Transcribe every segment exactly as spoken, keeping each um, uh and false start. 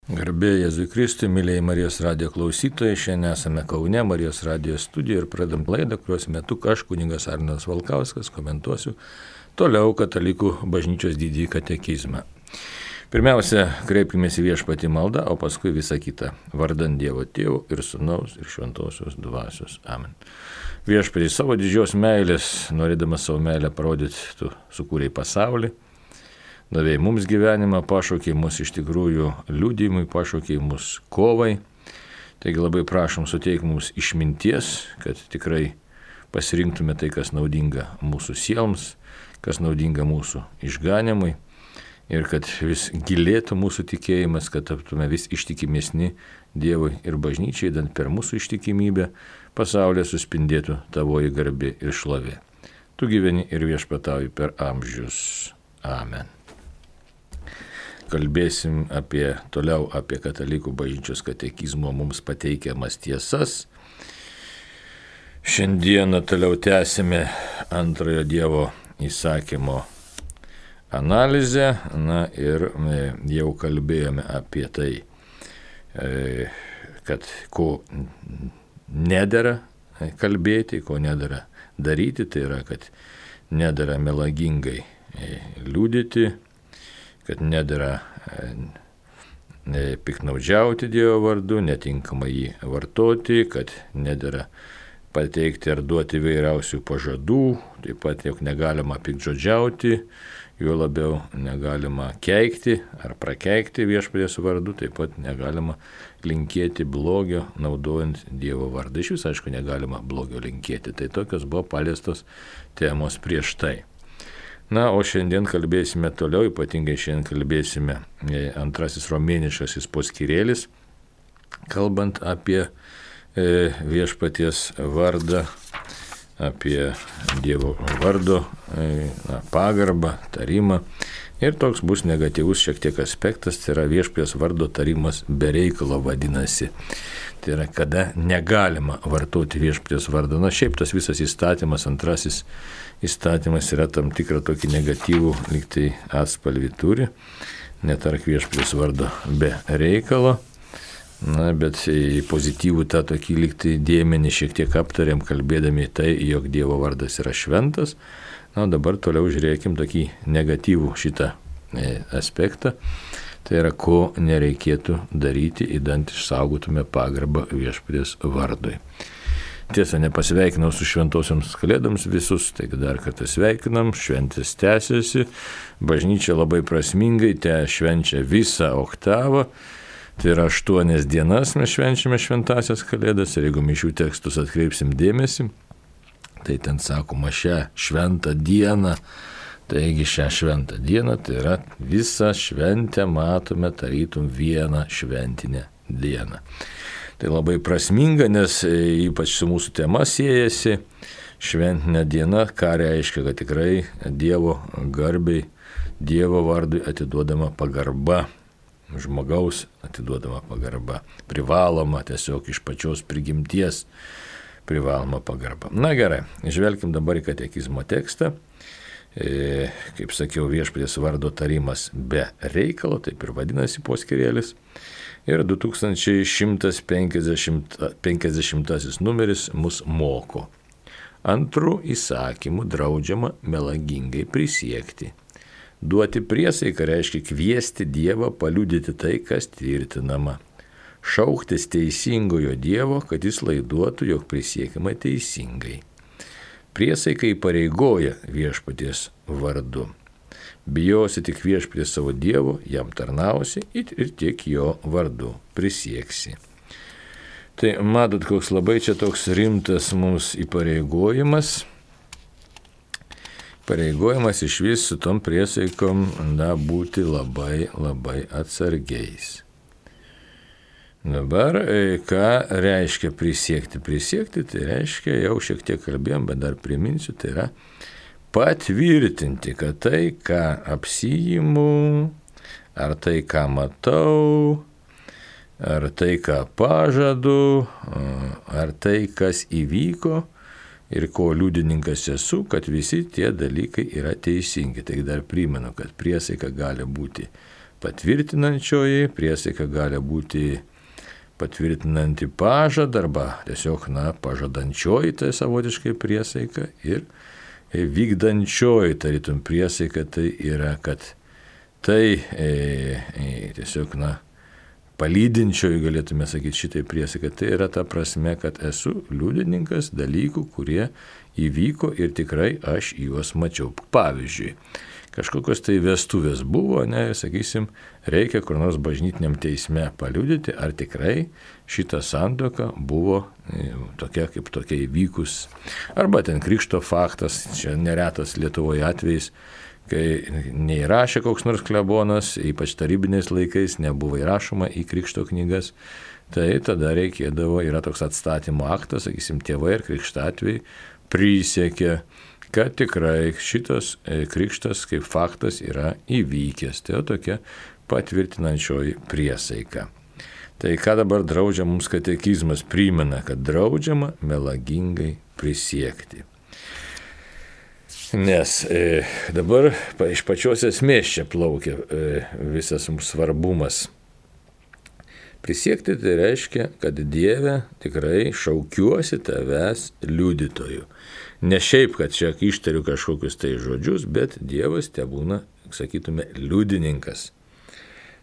Garbė Jėzui Kristui, mėlyjei Marijos radijo klausytojai, šiandien esame Kaune Marijos radijo studijoje ir pradam laidą, kurios metu aš, kunigas Arnas Valkauskas, komentuosiu toliau katalikų bažnyčios didįjį katekizmą. Pirmiausia, kreipkime į Viešpatį maldą, o paskui visą kitą. Vardant Dievo Tėvo ir Sūnaus ir Šventosios Dvasios. Amen. Viešpatį savo didžios meilės, norėdamas savo meilę parodyti, tu sukūrei pasaulį. Davėjai mums gyvenimą, pašaukei mus iš tikrųjų liudijimui, pašaukei mus kovai. Taigi labai prašom, suteik mums išminties, kad tikrai pasirinktume tai, kas naudinga mūsų sieloms, kas naudinga mūsų išganimui ir kad vis gilėtų mūsų tikėjimas, kad taptume vis ištikimesni Dievui ir bažnyčiai, dant per mūsų ištikimybę pasaulyje suspindėtų tavoji garbė ir šlovė. Tu gyveni ir viešpatauji per amžius. Amen. Kalbėsim apie, toliau apie katalikų bažnyčios katekizmo mums pateikiamas tiesas. Šiandieną toliau tęsime antrojo Dievo įsakymo analizę. Na ir jau kalbėjome apie tai, kad ko nedera kalbėti, ko nedera daryti. Tai yra, kad nedera melagingai liudyti, kad nedera piknaudžiauti Dievo vardu, netinkamai jį vartoti, kad nedera pateikti ar duoti įvairiausių pažadų, taip pat jog negalima piktžodžiauti, juo labiau negalima keikti ar prakeikti Viešpaties vardu, taip pat negalima linkėti blogio naudojant Dievo vardą. Iš vis, aišku, negalima blogio linkėti. Tai tokios buvo paliestos temos prieš tai. Na, o šiandien kalbėsime toliau, ypatingai šiandien kalbėsime antrasis romėniškasis poskyrėlis, kalbant apie Viešpaties vardą, apie Dievo vardo na, pagarbą, tarimą. Ir toks bus negatyvus šiek tiek aspektas, tai yra Viešpaties vardo tarimas be reikalo vadinasi. Tai yra, kada negalima vartoti Viešpaties vardą. Na, šiaip tas visas įstatymas, antrasis įstatymas yra tam tikrą tokį negatyvų lygtai atspalvį turi. Netark Viešpaties vardo be reikalo. Na, bet į pozityvų tą tokį lygtai dėmenį šiek tiek aptarėm, kalbėdami tai, jog Dievo vardas yra šventas. Na, dabar toliau žiūrėkim tokį negatyvų šitą aspektą. Tai yra, ko nereikėtų daryti, idant išsaugotume pagarbą Viešpaties vardui. Tiesa, nepasveikinau su šventosioms kalėdoms visus, taigi dar kartą sveikinam, šventės tęsiasi, bažnyčia labai prasmingai te švenčia visą oktavą, tai yra aštuonias dienas mes švenčiame šventasias kalėdas ir jeigu mišių tekstus atkreipsim dėmesį, tai ten sakoma šią šventą dieną, taigi šią šventą dieną, tai yra visą šventę matome tarytum vieną šventinę dieną. Tai labai prasminga, nes ypač su mūsų tema siejasi šventinė diena, ką reiškia, kad tikrai Dievo garbei, Dievo vardui atiduodama pagarba, žmogaus atiduodama pagarba, privaloma tiesiog iš pačios prigimties privaloma pagarba. Na gerai, žvelkim dabar į katekizmo tekstą. E, kaip sakiau, Viešpaties vardo tarimas be reikalo, taip ir vadinasi poskyrėlis. Ir du tūkstančiai šimtas penkiasdešimtasis numeris mus moko. Antrų įsakymų draudžiama melagingai prisiekti. Duoti priesaiką reiškia kviesti Dievą paliudyti tai, kas tvirtinama. Šauktis teisingojo Dievo, kad jis laiduotų, jog prisiekiama teisingai. Priesaika įpareigoja Viešpaties vardu. Bijosi tik Viešpaties savo Dievo, jam tarnausi ir tik jo vardu prisieksi. Tai matot, koks labai čia toks rimtas mums įpareigojimas. Pareigojimas iš vis su tom priesaikom na, būti labai, labai atsargiais. Dabar, ką reiškia prisiekti? Prisiekti, tai reiškia, jau šiek tiek kalbėjom, bet dar priminsiu, tai yra patvirtinti, kad tai, ką apsijimu, ar tai, ką matau, ar tai, ką pažadu, ar tai, kas įvyko ir ko liudininkas esu, kad visi tie dalykai yra teisingi. Taigi dar primenu, kad priesaika gali būti patvirtinančioji priesaika gali būti patvirtinanti pažadą arba tiesiog, na, pažadančioji, tai savotiškai priesaika, ir vykdančioji, tarytum priesaika, tai yra, kad tai e, e, tiesiog, na, palydinčioji, galėtume sakyti šitai priesaika, tai yra ta prasme, kad esu liudininkas dalykų, kurie įvyko ir tikrai aš juos mačiau. Pavyzdžiui, kažkokios tai vestuvės buvo, ne, sakysim, reikia kur nors bažnytiniam teisme paliudyti, ar tikrai šita santuoka buvo e, tokia kaip tokia įvykus. Arba ten krikšto faktas, čia neretas Lietuvoje atvejais, kai neįrašė koks nors klebonas, ypač tarybiniais laikais, nebuvo įrašoma į krikšto knygas, tai tada reikėdavo, yra toks atstatymo aktas, sakysim, tėvai ir krikštatviai prisiekė, kad tikrai šitas krikštas kaip faktas yra įvykęs. Tai tokia patvirtinančioji priesaika. Tai ką dabar draudžia mums katekizmas, primena, kad draudžiama melagingai prisiekti. Nes e, dabar pa, iš pačios esmės čia plaukia e, visas mums svarbumas. Prisiekti tai reiškia, kad Dieve tikrai šaukiuosi tavęs liudytoju. Ne šiaip, kad čia ištariu kažkokius tai žodžius, bet Dievas tebūna, sakytume, liudininkas.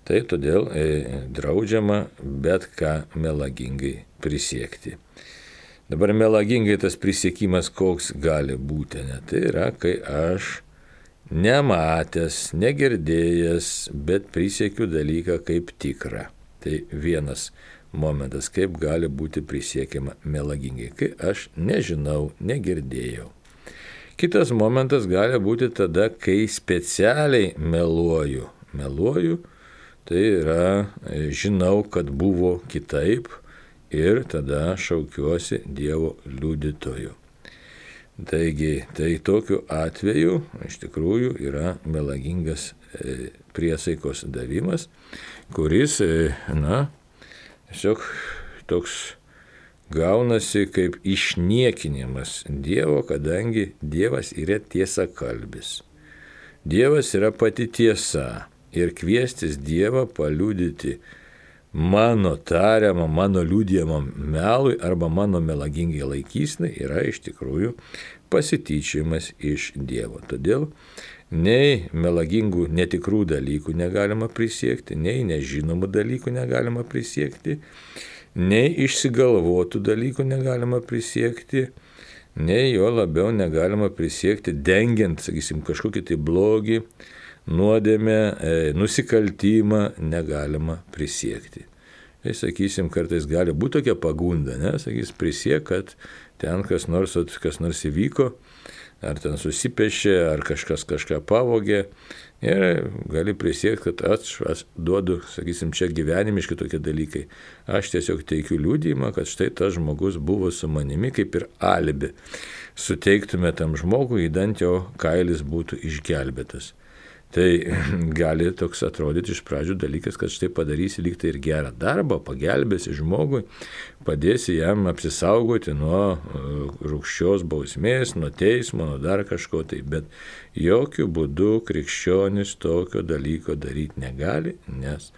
Tai todėl e, draudžiama bet ką melagingai prisiekti. Dabar melagingai tas prisiekimas koks gali būti, ne? Tai yra, kai aš nematęs, negirdėjęs, bet prisiekiu dalyką kaip tikrą. Tai vienas momentas, kaip gali būti prisiekiama melagingai, kai aš nežinau, negirdėjau. Kitas momentas gali būti tada, kai specialiai meluoju. Meluoju, tai yra, žinau, kad buvo kitaip, ir tada šaukiuosi Dievo liudytoju. Taigi, tai tokiu atveju iš tikrųjų yra melagingas e, priesaikos davimas, kuris, e, na, tiesiog toks gaunasi kaip išniekinimas Dievo, kadangi Dievas yra tiesakalbis. Dievas yra pati tiesa ir kviestis Dievą paliudyti mano tariamą, mano liudijamą melui arba mano melagingai laikysnai yra iš tikrųjų pasityčiajimas iš Dievo. Todėl nei melagingų netikrų dalykų negalima prisiekti, nei nežinomų dalykų negalima prisiekti, nei išsigalvotų dalykų negalima prisiekti, nei jo labiau negalima prisiekti dengiant, sakysim, kažkokį tai blogį, nuodėmę, e, nusikaltimą negalima prisiekti. Tai, sakysim, kartais gali būti tokia pagunda, ne, sakys, prisiek, kad ten kas nors, kas nors įvyko, ar ten susipešė, ar kažkas kažką pavogė, ir gali prisiekti, kad aš, aš duodu, sakysim, čia gyvenimiški tokie dalykai. Aš tiesiog teikiu liudijimą, kad štai tas žmogus buvo su manimi, kaip ir alibi. Suteiktume tam žmogui, įdant jo kailis būtų išgelbėtas. Tai gali toks atrodyti iš pradžių dalykas, kad štai padarysi lyg tai ir gerą darbą, pagelbėsi žmogui, padėsi jam apsisaugoti nuo rūgščios bausmės, nuo teismo, nuo dar kažko tai, bet jokių būdų krikščionis tokio dalyko daryti negali, nes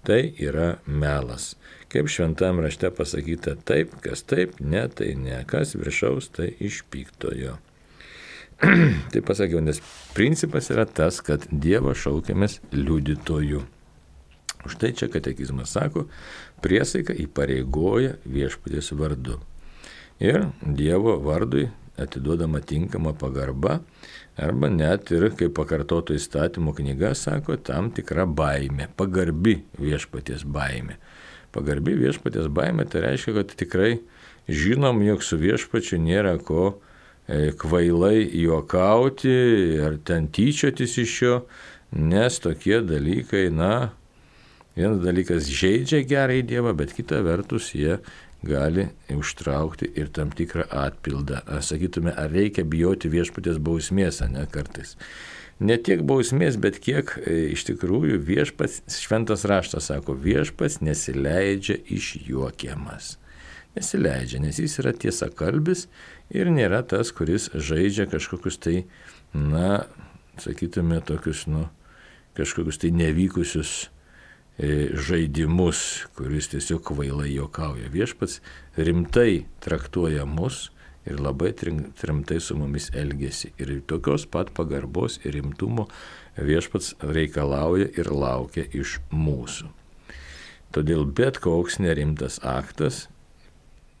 tai yra melas. Kaip šventam rašte pasakyta, taip, kas taip, ne, tai ne, kas viršaus, tai iš piktojo. Tai pasakiau, nes principas yra tas, kad Dievo šaukiamės liudytojų. Štai čia katekizmas sako, priesaika įpareigoja viešpaties vardu. Ir Dievo vardui atiduodama tinkama pagarba, arba net ir, kaip pakartoto įstatymo knyga sako, tam tikra baimė, pagarbi viešpaties baimė. Pagarbi viešpaties baimė, tai reiškia, kad tikrai žinom, jog su viešpačiu nėra ko kvailai juokauti ar ten tyčiotis iš jo, nes tokie dalykai, na, vienas dalykas žeidžia gerai Dievą, bet kita vertus jie gali užtraukti ir tam tikrą atpildą. Ar sakytume, ar reikia bijoti viešpaties bausmės, ne kartais. Ne tiek bausmės, bet kiek iš tikrųjų viešpats, šventas raštas sako, viešpats nesileidžia išjuokiamas. Nesileidžia, nes jis yra tiesakalbis ir nėra tas, kuris žaidžia kažkokius tai, na, sakytume, tokius, nu, kažkokius tai nevykusius žaidimus, kuris tiesiog kvailai juokauja. Viešpats rimtai traktuoja mus ir labai rimtai su mumis elgesi. Ir tokios pat pagarbos ir rimtumo viešpats reikalauja ir laukia iš mūsų. Todėl bet koks nerimtas aktas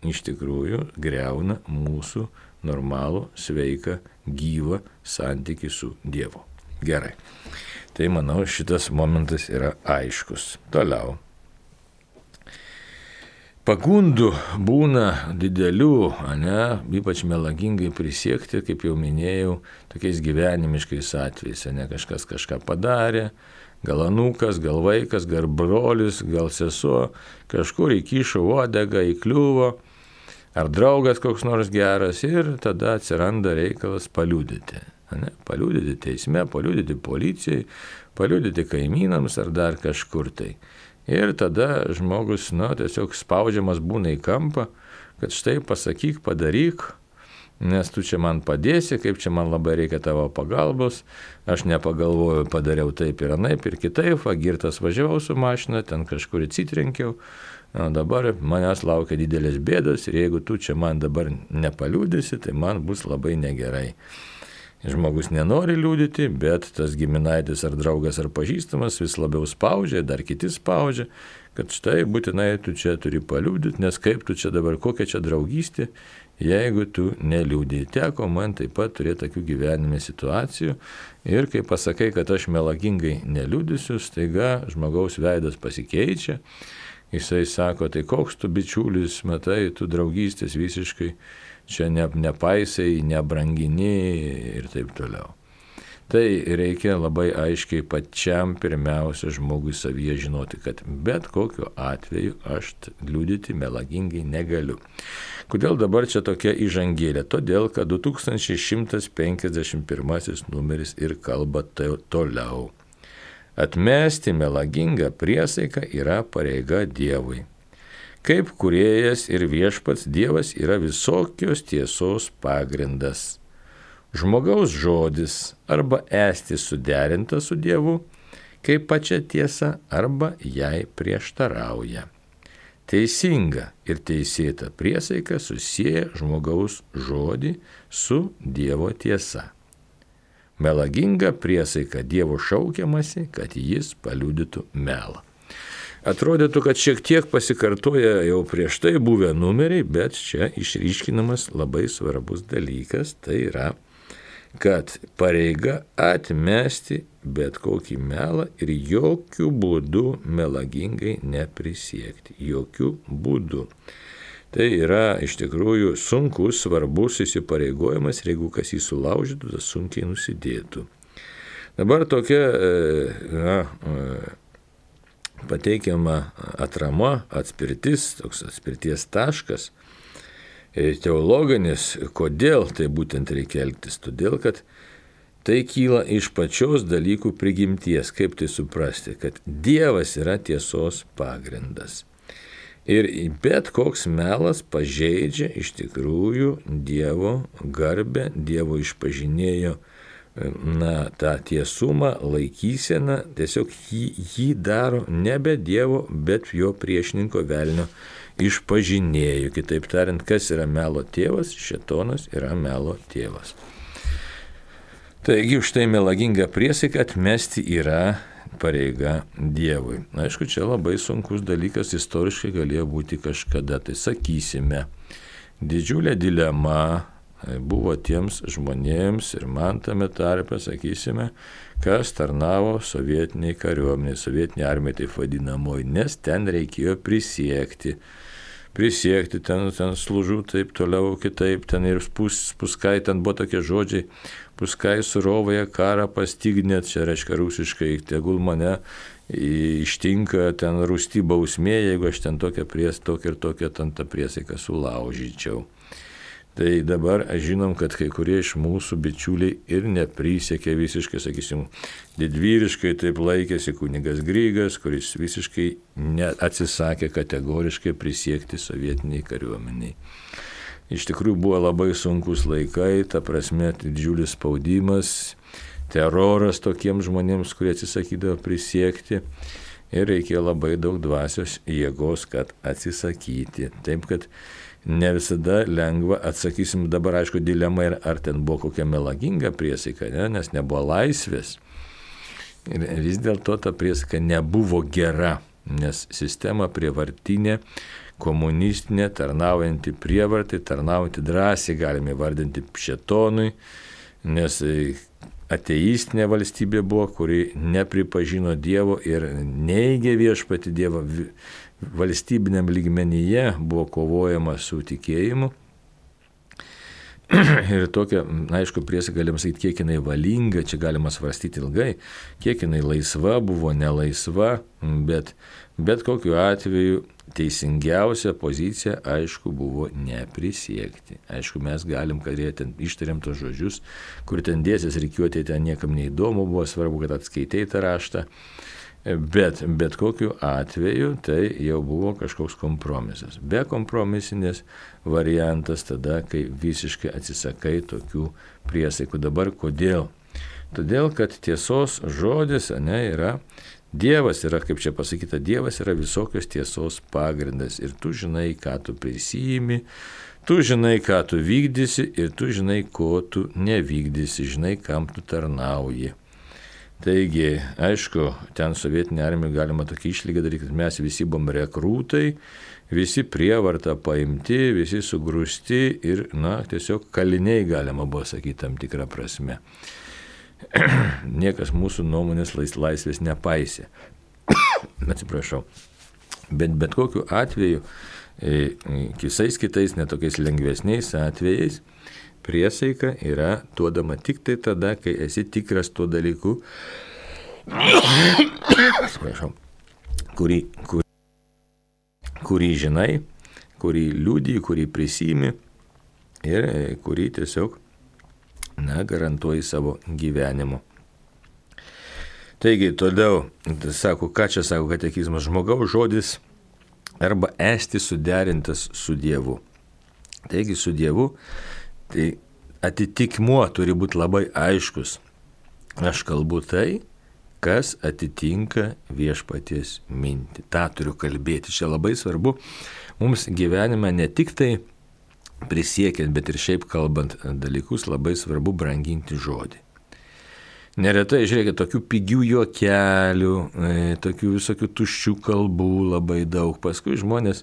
iš tikrųjų greuna mūsų normalų, sveiką, gyvą santykį su Dievu. Gerai. Tai manau, šitas momentas yra aiškus. Toliau. Pagundų būna didelių, ne, ypač melagingai prisiekti, kaip jau minėjau, tokiais gyvenimiškais atvejais. Ne, kažkas kažką padarė, gal anūkas, gal vaikas, gal brolis, gal sesuo, kažkur įkišo uodegą, įkliuvo, ar draugas koks nors geras ir tada atsiranda reikalas paliudyti. Ne, paliudyti teisme, paliudyti policijai, paliudyti kaimynams ar dar kažkur tai. Ir tada žmogus, na, tiesiog spaudžiamas būna į kampą, kad štai pasakyk, padaryk, nes tu čia man padėsi, kaip čia man labai reikia tavo pagalbos, aš nepagalvoju, padariau taip ir anaip ir kitaip, girtas važiavau su mašina, ten kažkur atsitrenkiau, na, dabar manęs laukia didelės bėdos ir jeigu tu čia man dabar nepaliudysi, tai man bus labai negerai. Žmogus nenori liūdyti, bet tas giminaitis ar draugas ar pažįstamas vis labiau spaudžia, dar kiti spaudžia, kad štai būtinai tu čia turi paliūdyti, nes kaip tu čia dabar, kokia čia draugystė, jeigu tu neliūdė. Teko man taip pat turėti tokių gyvenime situacijų ir kai pasakai, kad aš melagingai neliūdysiu, staiga žmogaus veidas pasikeičia, jisai sako, tai koks tu bičiulis, matai, tu draugystės visiškai čia ne, nepaisai, nebrangini ir taip toliau. Tai reikia labai aiškiai pačiam pirmiausia žmogui savyje žinoti, kad bet kokiu atveju aš liudyti melagingai negaliu. Kodėl dabar čia tokia įžangėlė? Todėl, kad du tūkstančiai šimtas penkiasdešimt pirmasis numeris ir kalba toliau. Atmesti melagingą priesaiką yra pareiga Dievui. Kaip kūrėjas ir viešpats Dievas yra visokios tiesos pagrindas. Žmogaus žodis arba esti suderinta su Dievu, kaip pačia tiesa, arba jai prieštarauja. Teisinga ir teisėta priesaika susieja žmogaus žodį su Dievo tiesa. Melaginga priesaika Dievo šaukiamasi, kad jis paliudytų melą. Atrodytų, kad šiek tiek pasikartoja jau prieš tai buvę numeriai, bet čia išryškinamas labai svarbus dalykas, tai yra, kad pareiga atmesti bet kokį melą ir jokių būdų melagingai neprisiekti. Jokių būdų. Tai yra iš tikrųjų sunkus, svarbus įsipareigojimas ir jeigu kas jį sulaužytų, tas sunkiai nusidėtų. Dabar tokia na, pateikiama atrama, atspirtis, toks atspirties taškas, teologinis, kodėl tai būtent reikia elgtis, todėl kad tai kyla iš pačios dalykų prigimties, kaip tai suprasti, kad Dievas yra tiesos pagrindas. Ir bet koks melas pažeidžia iš tikrųjų Dievo garbę, Dievo išpažinėjo na, tą tiesumą, laikyseną, tiesiog jį, jį daro nebe Dievo, bet jo priešininko velnio išpažinėjo. Kitaip tariant, kas yra melo tėvas, šėtonas yra melo tėvas. Taigi už tai melagingą priesaiką atmesti yra pareiga Dievui. Aišku, čia labai sunkus dalykas, istoriškai galėjo būti kažkada. Tai sakysime, didžiulė dilema buvo tiems žmonėms ir man tame tarpe, sakysime, kas tarnavo sovietiniai kariuomeniai, sovietiniai armijai taip vadinamoji, nes ten reikėjo prisiekti. Prisiekti, ten, ten služų, taip toliau, kitaip, ten ir pus, puskai, ten buvo tokie žodžiai, puskai surovąją karą pastignėt, čia reiškia rusiškai, tegul mane ištinka ten rūsti bausmė, jeigu aš ten tokią pries, tokią ir tokią ten tą priesaiką sulaužyčiau. Tai dabar žinom, kad kai kurie iš mūsų bičiuliai ir neprisiekė visiškai, sakysim, didvyriškai taip laikėsi kunigas Grygas, kuris visiškai atsisakė kategoriškai prisiekti sovietiniai kariuomeniai. Iš tikrųjų buvo labai sunkus laikai, ta prasme didžiulis spaudimas, teroras tokiems žmonėms, kurie atsisakydavo prisiekti. Ir reikėjo labai daug dvasios jėgos, kad atsisakyti. Taip, kad ne visada lengva, atsakysim dabar, aišku, dilema, ar ten buvo kokia melaginga priesaika, ne? Nes nebuvo laisvės. Ir vis dėlto ta priesaika nebuvo gera, nes sistema prievartinė, komunistinė, tarnaujanti prievartai, tarnaujanti drąsiai, galime vardinti šėtonui, nes ateistinė valstybė buvo, kuri nepripažino Dievo ir neigė viešpatį Dievą. Valstybiniam lygmenyje buvo kovojama su tikėjimu. Ir tokia, aišku, priesaika galim sakyti, kiek jinai valinga, čia galima svarstyti ilgai, kiek jinai laisva buvo, nelaisva, bet bet kokiu atveju teisingiausia pozicija, aišku, buvo neprisiekti. Aišku, mes galim, kad jie ten ištariam tos žodžius, kur ten dėsis rikiuotė, ten niekam neįdomu buvo, svarbu, kad atskaitei tą raštą. Bet, bet kokiu atveju tai jau buvo kažkoks kompromisas. Be kompromisinės variantas tada, kai visiškai atsisakai tokių priesaikų. Dabar kodėl? Todėl, kad tiesos žodis, ne, yra, Dievas yra, kaip čia pasakyta, Dievas yra visokios tiesos pagrindas. Ir tu žinai, ką tu prisijimi, tu žinai, ką tu vykdysi ir tu žinai, ko tu nevykdysi, žinai, kam tu tarnauji. Taigi, aišku, ten sovietinė armija galima tokį išlygą daryti, kad mes visi buvom rekrūtai, visi prievarta paimti, visi sugrūsti ir, na, tiesiog kaliniai galima buvo sakyti tam tikrą prasme. Niekas mūsų nuomonės laisvės nepaisė. Atsiprašau. Bet bet kokiu atveju, visais kitais netokiais lengvesniais atvejais, priesaika yra duodama tik tai tada, kai esi tikras tuo dalyku, kurį, kurį, kurį žinai, kurį liudiji, kurį prisimi ir kurį tiesiog, na, garantuoji savo gyvenimu. Taigi, toliau, sako, ką čia sako katekizmas, žmogaus žodis arba esti suderintas su Dievu. Taigi, su Dievu, tai atitikmuo turi būti labai aiškus. Aš kalbu tai, kas atitinka viešpaties mintį. Ta turiu kalbėti. Čia labai svarbu mums gyvenime ne tik tai prisiekiant, bet ir šiaip kalbant dalykus, labai svarbu branginti žodį. Neretai, žiūrėkit, tokių pigių juokelių, tokių visokių tuščių kalbų labai daug. Paskui žmonės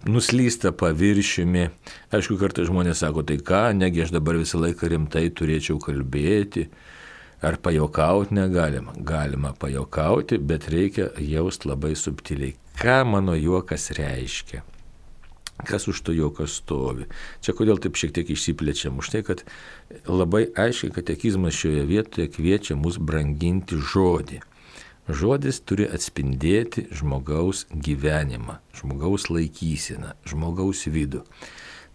nuslysta paviršiumi. Aišku, kartais žmonės sako, tai ką, negi aš dabar visą laiką rimtai turėčiau kalbėti, ar pajokauti negalima. Galima pajokauti, bet reikia jausti labai subtiliai, ką mano juokas reiškia, kas už to juokas stovi. Čia kodėl taip šiek tiek išsiplečiam, už tai, kad labai aiškiai katekizmas šioje vietoje kviečia mus branginti žodį. Žodis turi atspindėti žmogaus gyvenimą, žmogaus laikyseną, žmogaus vidų.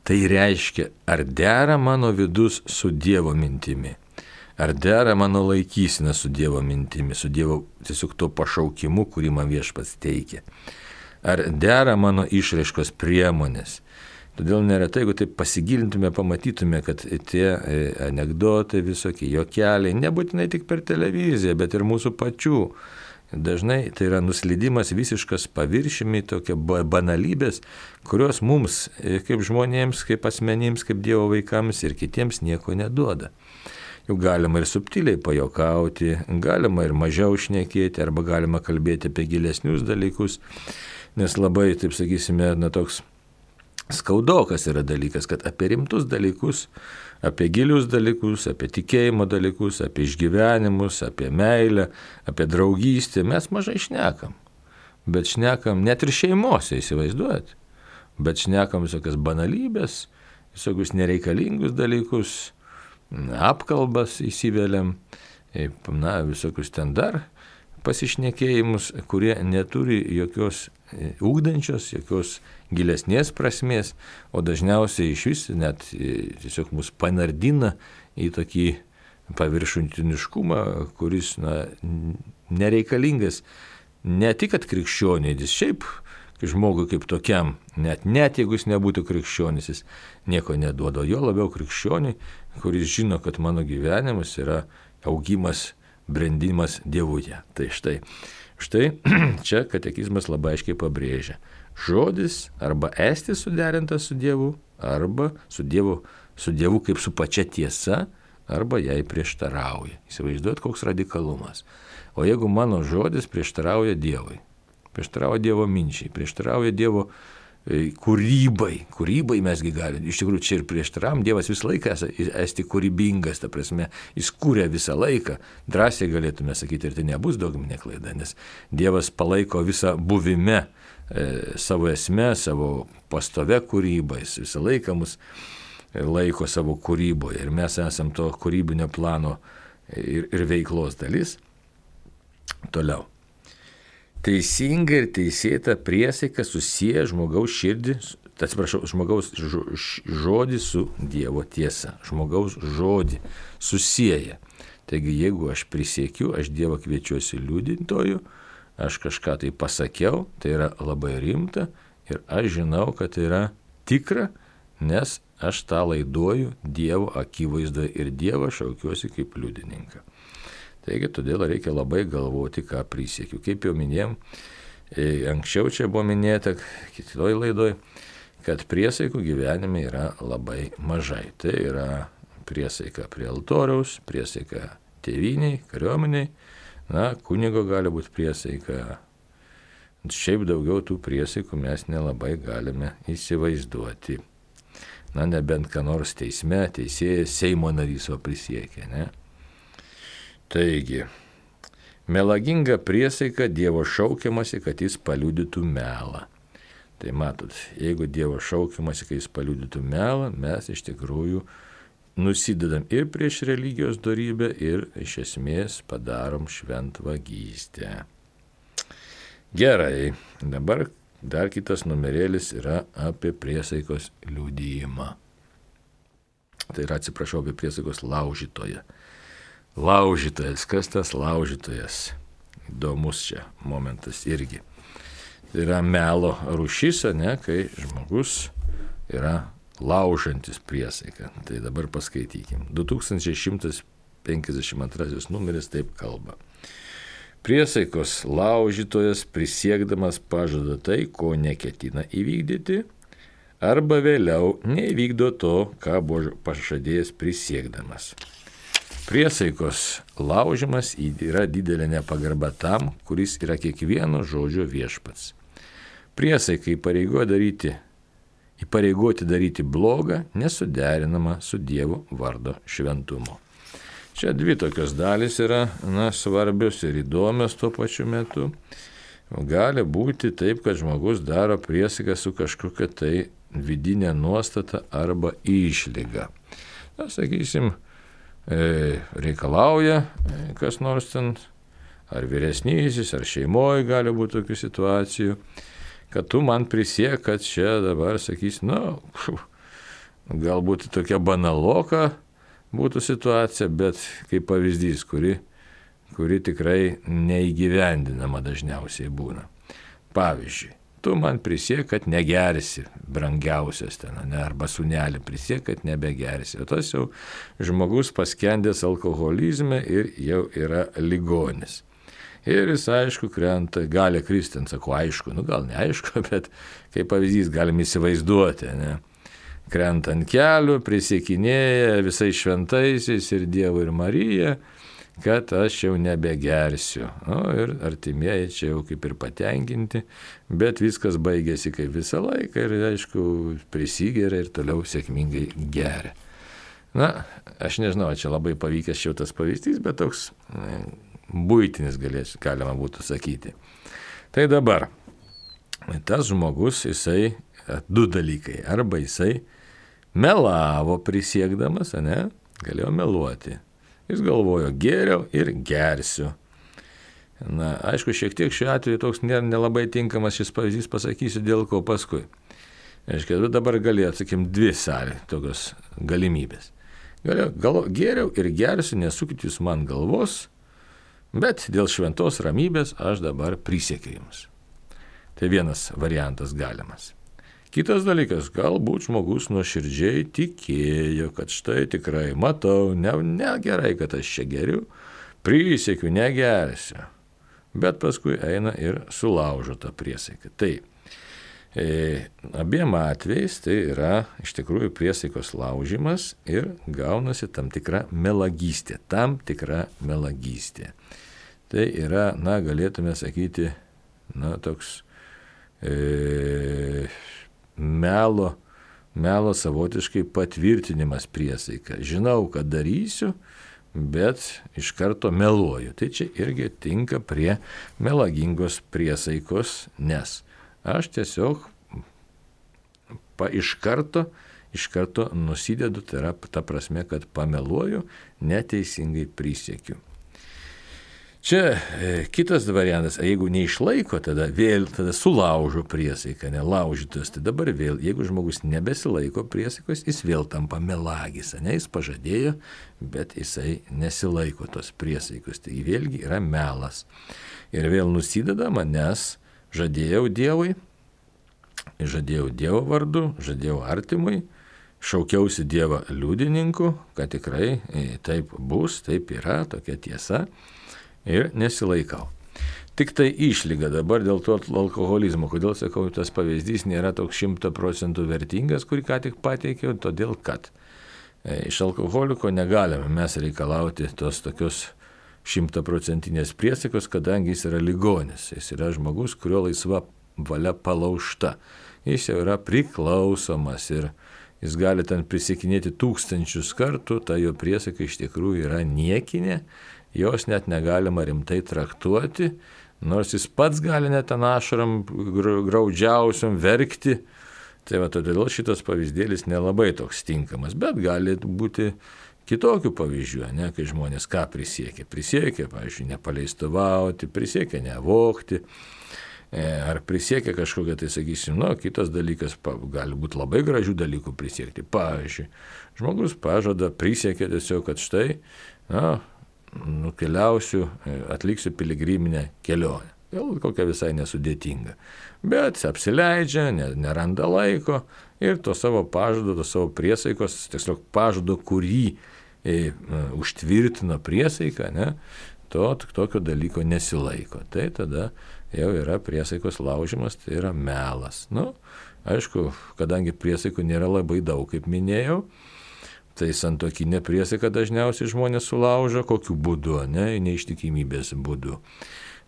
Tai reiškia, ar dera mano vidus su Dievo mintimi, ar dera mano laikysena su Dievo mintimi, su Dievo tiesiog to pašaukimu, kurį man viešpats teikia. Ar dera mano išraiškos priemonės. Todėl neretai, jeigu taip pasigilintume, pamatytume, kad tie anekdotai visokie, juokeliai, nebūtinai tik per televiziją, bet ir mūsų pačių. Dažnai tai yra nuslydimas visiškas paviršimi, tokie banalybės, kurios mums, kaip žmonėms, kaip asmenims, kaip Dievo vaikams ir kitiems nieko neduoda. Juk galima ir subtiliai pajokauti, galima ir mažiau šnekėti, arba galima kalbėti apie gilesnius dalykus, nes labai, taip sakysime, na toks skaudokas yra dalykas, kad apie rimtus dalykus, apie gilius dalykus, apie tikėjimo dalykus, apie išgyvenimus, apie meilę, apie draugystę mes mažai šnekam. Bet šnekam net ir šeimose, įsivaizduojat. Bet šnekam visokias banalybės, visokius nereikalingus dalykus, apkalbas įsiveliam, na, visokius ten dar pasišnekėjimus, kurie neturi jokios ugdančios, jokios gilesnės prasmės, o dažniausiai iš vis net tiesiog mus panardina į tokį paviršutiniškumą, kuris, na, nereikalingas ne tik kad krikščionys, šiaip žmogui kaip tokiam, net, net jeigu jis nebūtų krikščionis, jis nieko neduoda, jo labiau krikščioniui, kuris žino, kad mano gyvenimas yra augimas, brendimas Dievuje. Tai štai, štai čia katekizmas labai aiškiai pabrėžia. Žodis arba esti suderintas su Dievu, arba su Dievu, su Dievu kaip su pačia tiesa, arba jai prieštarauja. Įsivaizduojat, koks radikalumas. O jeigu mano žodis prieštarauja Dievui, prieštarauja Dievo minčiai, prieštarauja Dievo kūrybai, kūrybai mesgi galime, iš tikrųjų čia ir prieštaravom, Dievas visą laiką esti kūrybingas, ta prasme, jis kūrė visą laiką, drąsiai galėtume sakyti, ir tai nebus dogminė klaida, nes Dievas palaiko visą buvime, e, savo esmę, savo pastovę kūrybą, jis visą laiką mus laiko savo kūryboje ir mes esam to kūrybinio plano ir, ir veiklos dalis. Toliau. Teisinga ir teisėta priesaika susiję žmogaus širdį, atsiprašau, žmogaus žodį su Dievo tiesa. Žmogaus žodį susieja. Taigi, jeigu aš prisiekiu, aš Dievą kviečiuosi liudintoju, aš kažką tai pasakiau, tai yra labai rimta ir aš žinau, kad tai yra tikra, nes aš tą laiduoju Dievo akivaizdoje ir Dievą šaukiuosi kaip liudininką. Taigi, todėl reikia labai galvoti, ką prisiekiu. Kaip jau minėjom, anksčiau čia buvo minėta, kitoj laidoj, kad priesaikų gyvenime yra labai mažai. Tai yra priesaika prie altoriaus, priesaika tėvyniai, kariuomeniai, na, kunigo gali būti priesaika. Šiaip daugiau tų priesaikų mes nelabai galime įsivaizduoti. Na, nebent ką nors teisme, teisėjas, Seimo narys o prisiekė, ne? Taigi, melaginga priesaika Dievo šaukiamasi, kad jis paliudytų melą. Tai matot, jeigu Dievo šaukiamasi, kad jis paliudytų melą, mes iš tikrųjų nusidedam ir prieš religijos dorybę ir iš esmės padarom šventvagystę. Gerai, dabar dar kitas numerėlis yra apie priesaikos liudijimą. Tai yra, atsiprašau, apie priesaikos laužytoją. Laužytojas, kas tas laužytojas? Įdomus čia momentas irgi. Tai yra melo rūšis, ne, kai žmogus yra laužantis priesaiką. Tai dabar paskaitykim. du tūkstančiai šimtas penkiasdešimt antrasis numeris taip kalba. Priesaikos laužytojas prisiekdamas pažada tai, ko neketina įvykdyti, arba vėliau neįvykdo to, ką buvo pažadėjęs prisiekdamas. Priesaikos laužimas yra didelė nepagarba tam, kuris yra kiekvieno žodžio viešpats. Priesaikai įpareigoti daryti, įpareigoti daryti blogą nesuderinama su Dievo vardo šventumu. Čia dvi tokios dalys yra, na, svarbios ir įdomios tuo pačiu metu. Gali būti taip, kad žmogus daro priesaiką su kažkokia tai vidinė nuostata arba išlyga. Na, sakysim, reikalauja kas nors ten, ar vyresnysis, ar šeimoje gali būti tokių situacijų, kad tu man prisiek, kad čia dabar sakys, na, galbūt tokia banaloka būtų situacija, bet kaip pavyzdys, kuri, kuri tikrai neįgyvendinama dažniausiai būna. Pavyzdžiui, tu man prisiek, kad negersi brangiausias ten, ne, arba sūnelį prisiek, kad nebegersi. O tas jau žmogus paskendęs alkoholizme ir jau yra ligonis. Ir jis, aišku, krenta, gali kristi, sakau, aišku, nu gal neaišku, bet kaip pavyzdys galim įsivaizduoti, ne. Krenta ant kelių, prisiekinėja visais šventaisiais ir Dievu ir Marija, kad aš jau nebegersiu. O, ir artimieji čia jau kaip ir patenkinti, bet viskas baigėsi kaip visą laiką ir, aišku, prisigeria ir toliau sėkmingai geria. Na, aš nežinau, čia labai pavykęs šitas pavyzdys, bet toks ne, buitinis galės, galima būtų sakyti. Tai dabar, tas žmogus, jisai, du dalykai, arba jisai melavo prisiekdamas, ne, galėjo meluoti. Jis galvojo, geriau ir gersiu. Na, aišku, šiek tiek šiuo atveju toks nelabai tinkamas šis pavyzdys, pasakysiu dėl ko paskui. Aiškiai, dabar galėjo, sakykim, dvi sąlygos, tokios galimybės. Galėjo, gal, geriau ir gersiu, nesukit jūs man galvos, bet dėl šventos ramybės aš dabar prisiekiu jums. Tai vienas variantas galimas. Kitas dalykas, galbūt žmogus nuoširdžiai tikėjo, kad štai tikrai matau, ne, ne gerai, kad aš čia geriu, prisiekiu, negersiu. Bet paskui eina ir sulaužo tą priesaiką. Tai e, abiem atvejais tai yra iš tikrųjų priesaikos laužimas ir gaunasi tam tikra melagystė, tam tikra melagystė. Tai yra, na, galėtume sakyti, na, toks e, melo, melo savotiškai patvirtinimas priesaika. Žinau, kad darysiu, bet iš karto meluoju. Tai čia irgi tinka prie melagingos priesaikos, nes aš tiesiog pa, iš karto, iš karto nusidedu, tai yra ta prasme, kad pameluoju, neteisingai prisiekiu. Čia e, kitas variantas, jeigu neišlaiko, tada vėl tada sulaužo priesaiką, nelaužytas, tai dabar vėl, jeigu žmogus nebesilaiko priesaikos, jis vėl tampa melagis, ne, jis pažadėjo, bet jisai nesilaiko tos priesaikos, tai vėlgi yra melas. Ir vėl nusidedama, nes žadėjau Dievui, žadėjau Dievo vardu, žadėjau artimui, šaukiausi Dievą liudininku, kad tikrai taip bus, taip yra, tokia tiesa. Ir nesilaikau. Tik tai išlyga dabar dėl to alkoholizmo. Kodėl sakau, tas pavyzdys nėra toks šimta procentų vertingas, kurį ką tik pateikiau, todėl kad e, iš alkoholiko negalime mes reikalauti tos tokios šimtaprocentinės priesaikos, kadangi jis yra ligonis. Jis yra žmogus, kurio laisva valia palaužta. Jis jau yra priklausomas ir jis gali ten prisiekinėti tūkstančius kartų, ta jo priesaika iš tikrųjų yra niekinė. Jos net negalima rimtai traktuoti, nors jis pats gali net ten ašaram graudžiausiam verkti. Tai va, todėl šitas pavyzdėlis nelabai toks tinkamas, bet gali būti kitokių pavyzdžių, ne, kai žmonės ką prisiekia. Prisiekia, pavyzdžiui, nepaleistuvauti, prisiekia nevokti, ar prisiekia kažkokią, tai sakysim, nu, kitas dalykas, gali būti labai gražių dalykų prisiekti. Pavyzdžiui, žmogus pažada, prisiekia tiesiog, kad štai, na, nukeliausiu, atliksiu piligriminę kelionę. Gal kokia visai nesudėtinga. Bet apsileidžia, neranda laiko ir to savo pažado, to savo priesaikos, tiesiog pažado, kurį e, užtvirtino priesaiką, ne, to tokio dalyko nesilaiko. Tai tada jau yra priesaikos laužimas, tai yra melas. Nu, aišku, kadangi priesaikų nėra labai daug, kaip minėjau, tai santuokinė priesaika dažniausiai žmonės sulaužo, kokiu būdu, ne, neištikimybės būdu.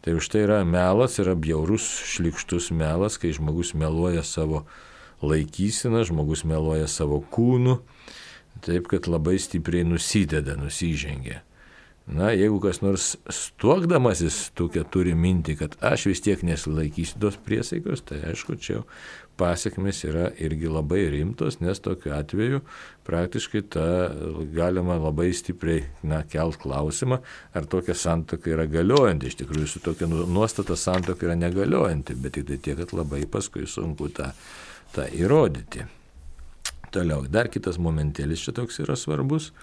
Tai už tai yra melas, yra bjaurus, šlykštus melas, kai žmogus meluoja savo laikyseną, žmogus meluoja savo kūnu, taip kad labai stipriai nusideda, nusižengia. Na, jeigu kas nors stuokdamasis tokia turi mintį, kad aš vis tiek nesilaikysiu tos priesaikos, tai aišku, čia pasiekmes yra irgi labai rimtos, nes tokiu atveju praktiškai ta galima labai stipriai, na, kelt klausimą, ar tokia santuoka yra galiojanti. Iš tikrųjų, su tokia nuostata santuoka yra negaliojanti, bet tik tai tiek, kad labai paskui sunku tą, tą įrodyti. Toliau, dar kitas momentėlis čia toks yra svarbus.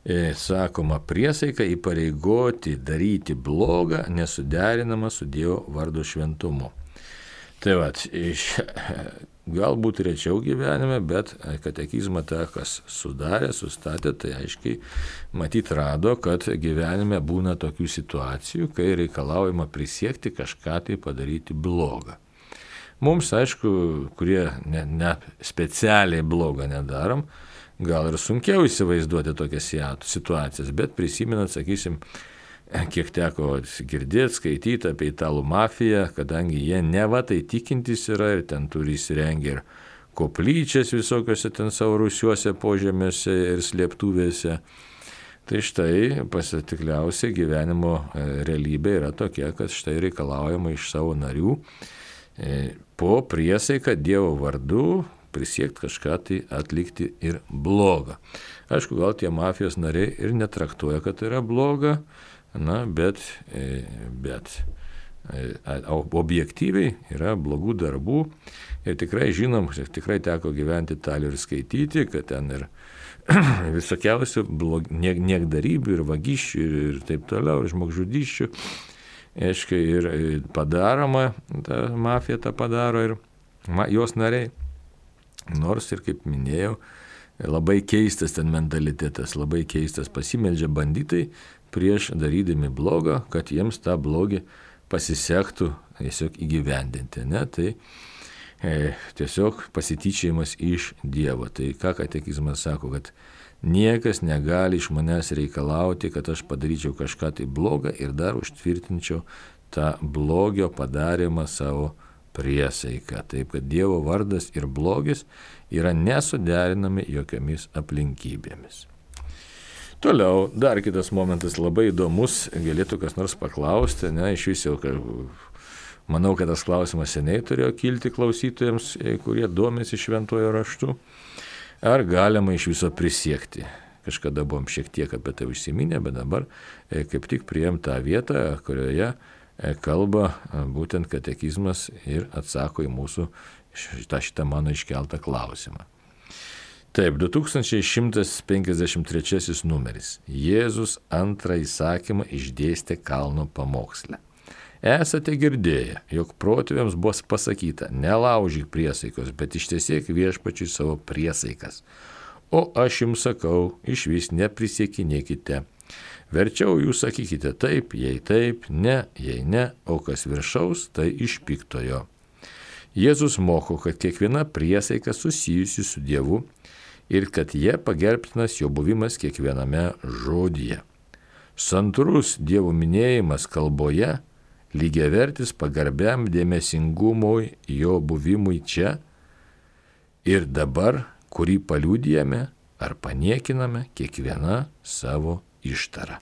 E, sakoma, priesaika įpareigoti daryti blogą nesuderinama su Dievo vardo šventumu. Tai va, galbūt rečiau gyvenime, bet katekizmą tą, kas sudarė, sustatė, tai aiškiai matyt rado, kad gyvenime būna tokių situacijų, kai reikalaujama prisiekti kažką tai padaryti blogą. Mums, aišku, kurie ne, ne specialiai blogą nedarom, gal ir sunkiau įsivaizduoti tokias situacijas, bet prisimenant, sakysim, kiek teko girdėti, skaityti apie italų mafiją, kadangi jie neva tai tikintys yra ir ten turi įsirengę ir koplyčias visokiuose ten savo rūsiuose, požemiuose ir slėptuvėse. Tai štai pasitikliausiai gyvenimo realybė yra tokia, kad štai reikalaujama iš savo narių po priesaiką Dievo vardu prisiekti kažką tai atlikti ir blogą. Aišku, gal tie mafijos nariai ir netraktuoja, kad tai yra bloga, na, bet, bet objektyviai yra blogų darbų ir tikrai žinom, tikrai teko gyventi Italijoje ir skaityti, kad ten ir visokiausių blog, niek, niekdarybių ir vagysčių ir, ir taip toliau, ir žmogžudysčių, aiškiai, ir padaroma, ta mafija tą padaro ir ma, jos nariai. Nors ir, kaip minėjau, labai keistas ten mentalitetas, labai keistas, pasimeldžia banditai prieš darydami blogą, kad jiems tą blogį pasisektų tiesiog įgyvendinti. Ne? Tai e, tiesiog pasityčiojimas iš Dievo. Tai ką katekizmas sako, kad niekas negali iš manęs reikalauti, kad aš padaryčiau kažką tai blogą ir dar užtvirtinčiau tą blogio padarymą savo priesaiką. Taip, kad Dievo vardas ir blogis yra nesuderinami jokiomis aplinkybėmis. Toliau, dar kitas momentas labai įdomus, galėtų kas nors paklausti, ne, iš vis jau, manau, kad tas klausimas seniai turėjo kilti klausytojams, kurie domisi šventuoju raštu, ar galima iš viso prisiekti. Kažkada buvom šiek tiek apie tai užsiminę, bet dabar kaip tik priėm tą vietą, kurioje kalba būtent katekizmas ir atsako į mūsų šitą, šitą mano iškeltą klausimą. Taip, du tūkstančiai šimtas penkiasdešimt trečiasis numeris. Jėzus antrą įsakymą išdėstė kalno pamoksle. Esate girdėję, jog protėviams buvo pasakyta, nelaužyk priesaikos, bet ištiesėk viešpačiui savo priesaikas. O aš jums sakau, išvis neprisiekinėkite. Verčiau jūs sakykite taip, jei taip, ne, jei ne, o kas viršaus, tai iš piktojo. Jėzus moko, kad kiekviena priesaika susijusi su Dievu ir kad jie pagerbtinas jo buvimas kiekviename žodyje. Santūrus Dievo minėjimas kalboje lygiavertis pagarbiam dėmesingumui jo buvimui čia ir dabar, kurį paliudijame ar paniekiname kiekviena savo ištara.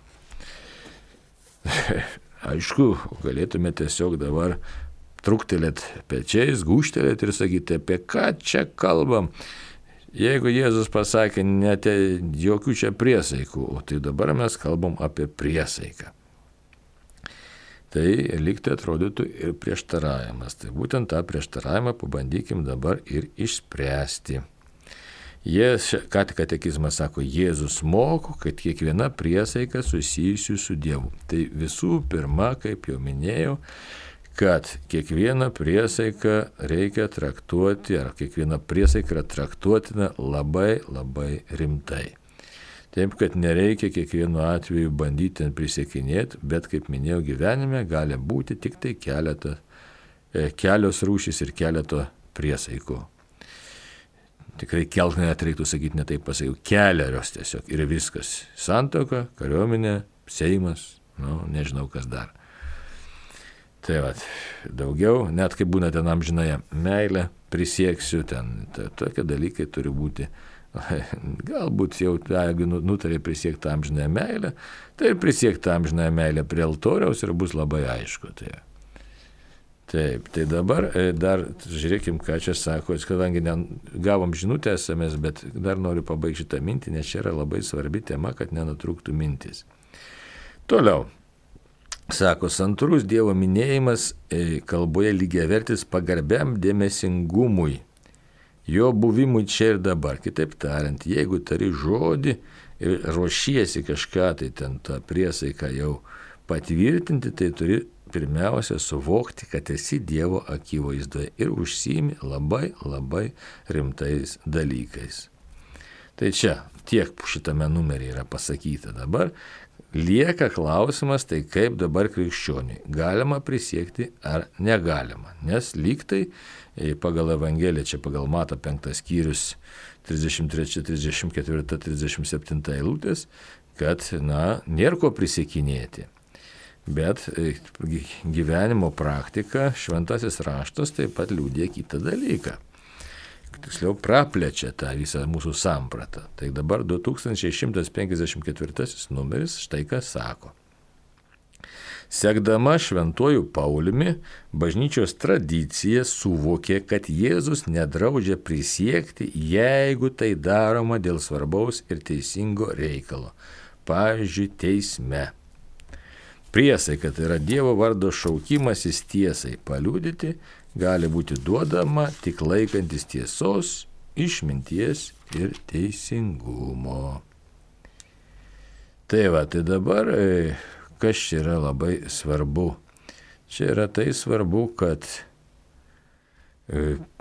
Aišku, galėtume tiesiog dabar truktelėt pečiais, gūštelėt ir sakyti, apie ką čia kalbam. Jeigu Jėzus pasakė, net jokių čia priesaikų, tai dabar mes kalbam apie priesaiką. Tai lygtai atrodytų ir prieštaravimas. Tai būtent tą prieštaravimą pabandykim dabar ir išspręsti. Jės, ką katekizmas sako, Jėzus moko, kad kiekviena priesaika susijusi su Dievu. Tai visų pirma, kaip jau minėjau, kad kiekvieną priesaiką reikia traktuoti, ar kiekviena priesaika yra traktuotina labai labai rimtai. Taip, kad nereikia kiekvienu atveju bandyti prisiekinėti, bet, kaip minėjau, gyvenime gali būti tik tai keletą, kelios rūšys ir keleto priesaikų. Tikrai kelt net reiktų sakyti, ne taip pasakiau, keliarios tiesiog ir viskas. Santuoka, kariuomenė, Seimas, nu, nežinau kas dar. Tai vat, daugiau, net kaip būna ten amžinąją meilę, prisieksiu, ten ta, tokie dalykai turi būti. Galbūt jau, jeigu nutarė prisiekti amžinąją meilę, tai prisiekti amžinąją meilę prie altoriaus ir bus labai aišku. Tai. Taip, tai dabar dar žiūrėkim, ką čia sako, kadangi ne, gavom žinutę esamės, bet dar noriu pabaigti šitą mintį, nes čia yra labai svarbi tema, kad nenutrūktų mintis. Toliau, sako, santūrus Dievo minėjimas kalboje lygiavertis pagarbiam dėmesingumui, jo buvimui čia ir dabar. Kitaip tariant, jeigu tari žodį ir ruošiesi kažką, tai ten tą priesaiką jau patvirtinti, tai turi pirmiausia suvokti, kad esi Dievo akivaizdoje ir užsiimi labai labai rimtais dalykais. Tai čia tiek šitame numeryje yra pasakyta. Dabar lieka klausimas, tai kaip dabar krikščioniui galima prisiekti ar negalima. Nes lygtai pagal Evangeliją, čia pagal Mato penktas skyrius trisdešimt trečia, trisdešimt ketvirta, trisdešimt septinta eilutės, kad, na, nėra ko prisiekinėti. Bet gyvenimo praktika, šventasis raštas taip pat liudija kitą dalyką. Tiksliau, praplečia tą visą mūsų sampratą. Tai dabar du tūkstančiai šimtas penkiasdešimt ketvirtasis numeris štai ką sako. Sekdama šventuoju Pauliumi, bažnyčios tradicija suvokė, kad Jėzus nedraudžia prisiekti, jeigu tai daroma dėl svarbaus ir teisingo reikalo. Pavyzdžiui, teisme. Priesaika, tai yra Dievo vardo šaukimasis tiesai paliudyti, gali būti duodama tik laikantis tiesos, išminties ir teisingumo. Tai va, tai dabar, kas čia yra labai svarbu? Čia yra tai svarbu, kad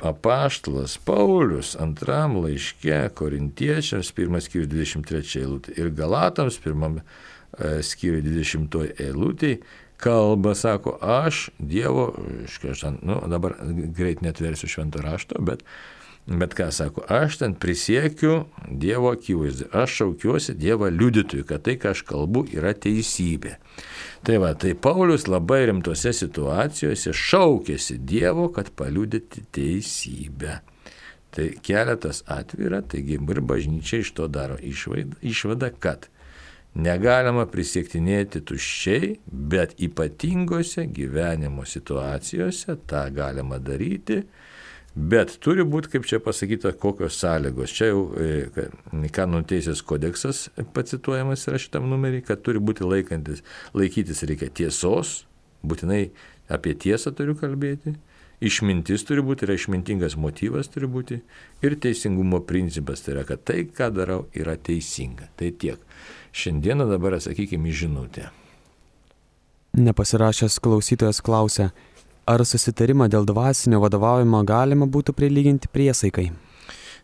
apaštalas Paulius antram laiške Korintiečiams, pirmas skyrius dvidešimt trečia eilutė ir Galatams, pirmam skyrius dvidešimtoji eilutė, kalba, sako, aš Dievo, aš nu, dabar greit netversiu švento rašto, bet Bet ką sako, aš ten prisiekiu Dievo akivaizdu, aš šaukiuosi Dievo liudytojų, kad tai, ką aš kalbu, yra teisybė. Tai va, tai Paulius labai rimtose situacijose šaukėsi Dievo, kad paliudyti teisybę. Tai keletas atvira, taigi ir bažnyčia iš to daro išvadą, kad negalima prisiektinėti tuščiai, bet ypatingose gyvenimo situacijose tą galima daryti. Bet turi būti, kaip čia pasakyta, kokios sąlygos. Čia jau Kanonų teisės kodeksas pacituojamas yra šitam numerį, kad turi būti laikantis, laikytis reikia tiesos, būtinai apie tiesą turiu kalbėti, išmintis turi būti, yra išmintingas motyvas turi būti ir teisingumo principas, tai yra, kad tai, ką darau, yra teisinga. Tai tiek. Šiandieną dabar atsakykime į žinutę. Nepasirašęs klausytojas klausia, ar susitarimą dėl dvasinio vadovavimo galima būtų prilyginti priesaikai?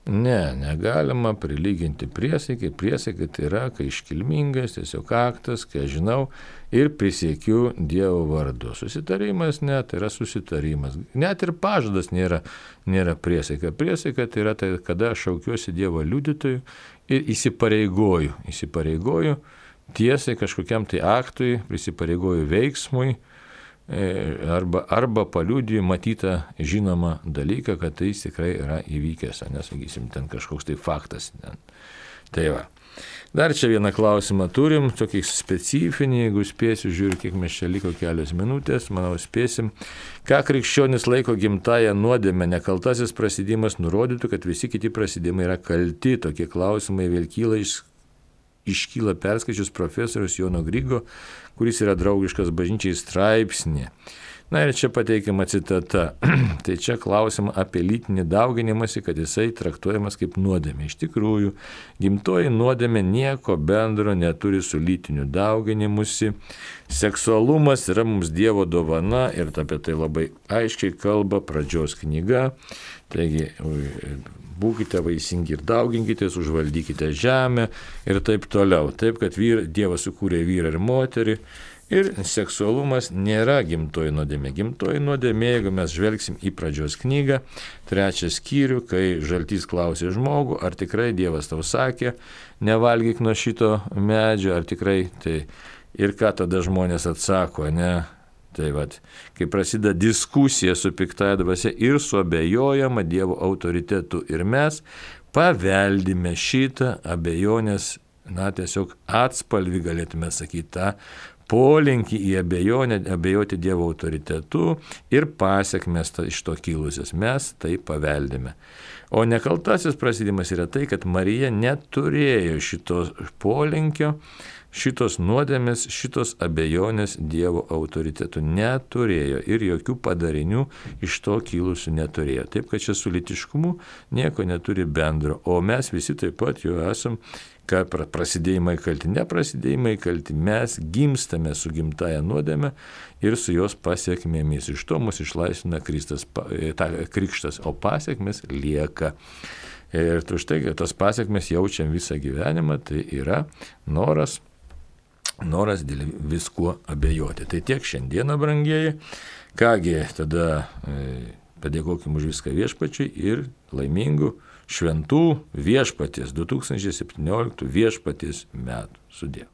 Ne, negalima prilyginti priesaikai. Priesaikai tai yra, kai iškilmingas, tiesiog aktas, kai aš žinau ir prisiekiu Dievo vardu. Susitarimas ne, tai yra susitarimas. Net ir pažadas nėra, nėra priesaika. Priesaika tai yra, tai, kada aš šaukiuosi Dievo liudytojų ir įsipareigoju. Įsipareigoju tiesai kažkokiam tai aktui, prisipareigoju veiksmui, arba, arba paliudiju matytą žinomą dalyką, kad tai tikrai yra įvykęs, nesakysim, ten kažkoks tai faktas. Tai va. Dar čia vieną klausimą turim, tokį specifinį, jeigu spėsiu, žiūriu, kiek mes čia liko kelios minutės, manau spėsim. Ką krikščionis laiko gimtąją nuodėmę, nekaltasis prasidėjimas nurodytų, kad visi kiti prasidėjimai yra kalti. Tokie klausimai vėl kyla iš iškyla perskaičius profesorius Jono Grigo, kuris yra draugiškas bažnyčiai straipsnė. Na ir čia pateikiama citata. Tai čia klausim apie lytinį dauginimąsi, kad jisai traktuojamas kaip nuodėmė. Iš tikrųjų, gimtoji nuodėmė nieko bendro neturi su lytiniu dauginimusi. Seksualumas yra mums Dievo dovana ir apie tai labai aiškiai kalba pradžios knyga. Taigi, būkite vaisingi ir dauginkitės, užvaldykite žemę ir taip toliau. Taip, kad vyr, Dievas sukūrė vyrą ir moterį. Ir seksualumas nėra gimtoji nuodėmė. Gimtoji nuodėmė, jeigu mes žvelgsim į pradžios knygą, trečią skyrių, kai žaltys klausė žmogų, ar tikrai Dievas tau sakė, nevalgyk nuo šito medžio, ar tikrai tai. Ir ką tada žmonės atsako, ne? Tai vat, kai prasideda diskusija su piktąja dvasia ir suabejojama Dievo autoritetu ir mes paveldime šitą abejonės, na tiesiog atspalvį galėtume sakyti tą polinkį į abejonę, abejoti Dievo autoritetu ir pasiekmes iš to kilusias. Mes tai paveldime. O nekaltasis prasidėjimas yra tai, kad Marija neturėjo šito polinkio, šitos nuodėmės, šitos abejonės Dievo autoritetu neturėjo ir jokių padarinių iš to kilusių neturėjo. Taip, kad čia su lytiškumu nieko neturi bendro. O mes visi taip pat jau esam, kad prasidėjimai kalti, neprasidėjimai kalti, mes gimstame su gimtaja nuodėme ir su jos pasiekmėmis. Iš to mus išlaisvina Kristas, ta, krikštas, o pasiekmės lieka. Ir už tai, kad tas pasiekmes jaučiam visą gyvenimą, tai yra noras, noras dėl viskuo abejoti. Tai tiek šiandieną, brangieji. Kągi, tada padėkokim už viską viešpačiui ir laimingų šventų viešpaties du tūkstančiai septynioliktų viešpaties metų. Sudie.